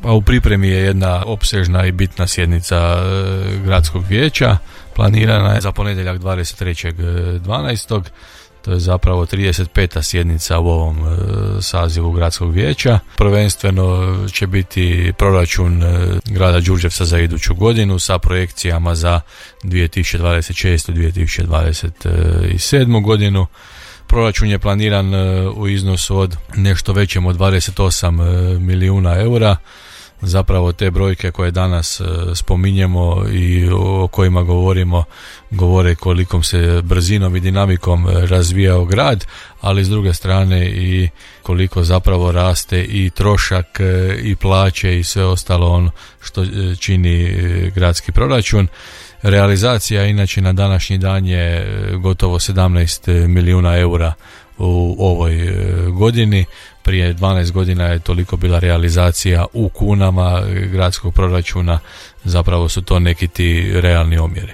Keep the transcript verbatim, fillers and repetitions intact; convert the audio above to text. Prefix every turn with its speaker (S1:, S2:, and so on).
S1: Pa u pripremi je jedna opsežna i bitna sjednica gradskog vijeća, planirana je za ponedjeljak dvadeset trećeg dvanaestog To je zapravo trideset peta sjednica u ovom e, sazivu gradskog vijeća. Prvenstveno će biti proračun e, grada Đurđevca za iduću godinu sa projekcijama za dvije tisuće dvadeset šestu. dvije tisuće dvadeset sedmu. godinu. Proračun je planiran e, u iznosu od nešto većem od dvadeset osam milijuna eura. Zapravo te brojke koje danas spominjemo i o kojima govorimo govore kolikom se brzinom i dinamikom razvijao grad, ali s druge strane i koliko zapravo raste i trošak i plaće i sve ostalo ono što čini gradski proračun. Realizacija inače na današnji dan je gotovo sedamnaest milijuna eura u ovoj godini. Prije dvanaest godina je toliko bila realizacija u kunama gradskog proračuna, zapravo su to neki ti realni omjeri.